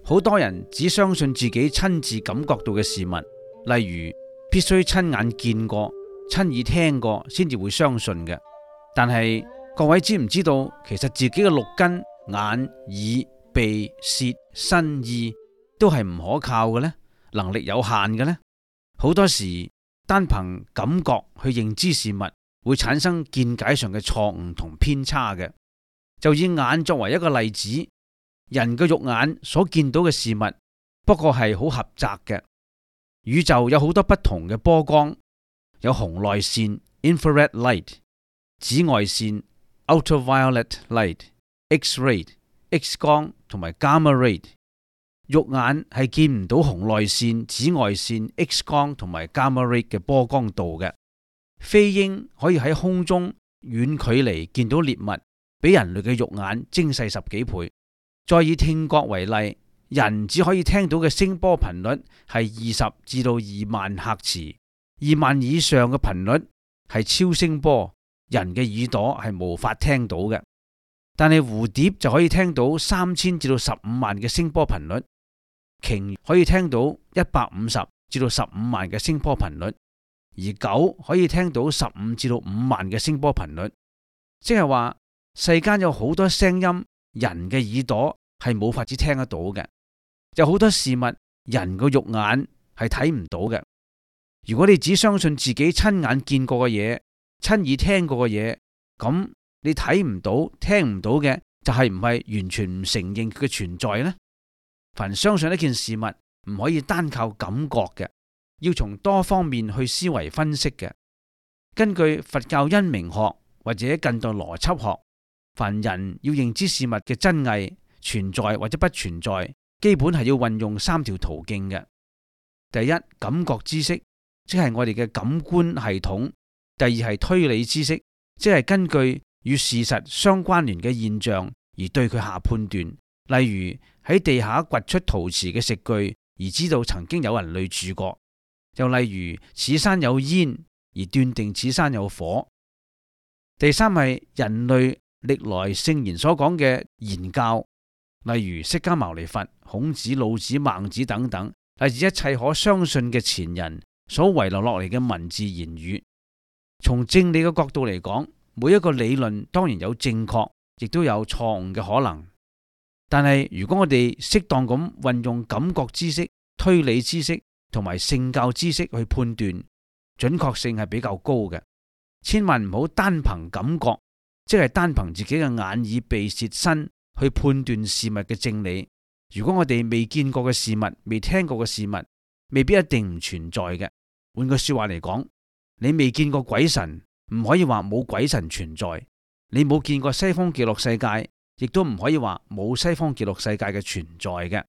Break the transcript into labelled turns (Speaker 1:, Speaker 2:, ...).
Speaker 1: 好多人只相信自己親自感覺到嘅事物，例如必須親眼見過、親耳聽過先至會相信嘅。但係各位知唔知道，其實自己嘅六根眼、耳、鼻、舌、身、意都係唔可靠嘅呢？能力有限嘅呢？好多時單憑感覺去認知事物，會產生見解上嘅錯誤同偏差嘅。就以眼作為一個例子，人嘅肉眼所見到嘅事物，不過係好狹窄嘅。宇宙有好多不同嘅波光，有紅外線 （infrared light）、紫外線 （ultraviolet light）、X-ray、X 光同埋 gamma ray。肉眼係見唔到紅外線、紫外線、X 光同埋 gamma ray 嘅波光度嘅。飛鷹可以喺空中遠距離見到獵物，比人類嘅肉眼精細10幾倍。再以聽覺為例，人只可以聽到嘅聲波頻率係20至到2萬赫茲，2萬以上嘅頻率係超聲波，人嘅耳朵係無法聽到嘅。但係蝴蝶就可以聽到3000至到15萬嘅聲波頻率，鯨可以聽到150至到15萬嘅聲波頻率，而狗可以聽到15至到5萬嘅聲波頻率。即係話世間有好多聲音，人嘅耳朵係冇法子聽得到嘅。有好多事物，人個肉眼係睇唔到嘅。如果你只相信自己親眼見過嘅嘢、親耳聽過嘅嘢，咁你睇唔到、聽唔到嘅，就係唔係完全唔承認佢嘅存在呢？凡相信一件事物，唔可以單靠感覺嘅，要從多方面去思維分析嘅。根據佛教因明學或者近代邏輯學，凡人要認知事物嘅真偽、存在或者不存在，基本係要運用3條途徑嘅。第一，感覺知識，即係我哋嘅感官系統；第二係推理知識，即係根據與事實相關聯嘅現象而對佢下判斷。例如喺地下掘出陶瓷嘅食具，而知道曾經有人類住過；又例如此山有煙，而斷定此山有火。第三係人類歷來聖賢所講嘅言教，例如釋迦牟尼佛、孔子、老子、孟子等等，乃至一切可相信嘅前人所遺留落嚟嘅文字言語。從正理嘅角度嚟講，每一個理論當然有正確，亦都有錯誤嘅可能。但係如果我哋適當咁運用感覺知識、推理知識同埋聖教知識去判斷，準確性係比較高嘅。千萬唔好單憑感覺，即係單憑自己嘅眼耳鼻舌身去判斷事物嘅正理。如果我哋未見過嘅事物、未聽過嘅事物，未必一定唔存在嘅。換句說話嚟講，你未見過鬼神，唔可以話冇鬼神存在；你冇見過西方極樂世界，亦都唔可以話冇西方極樂世界嘅存在嘅。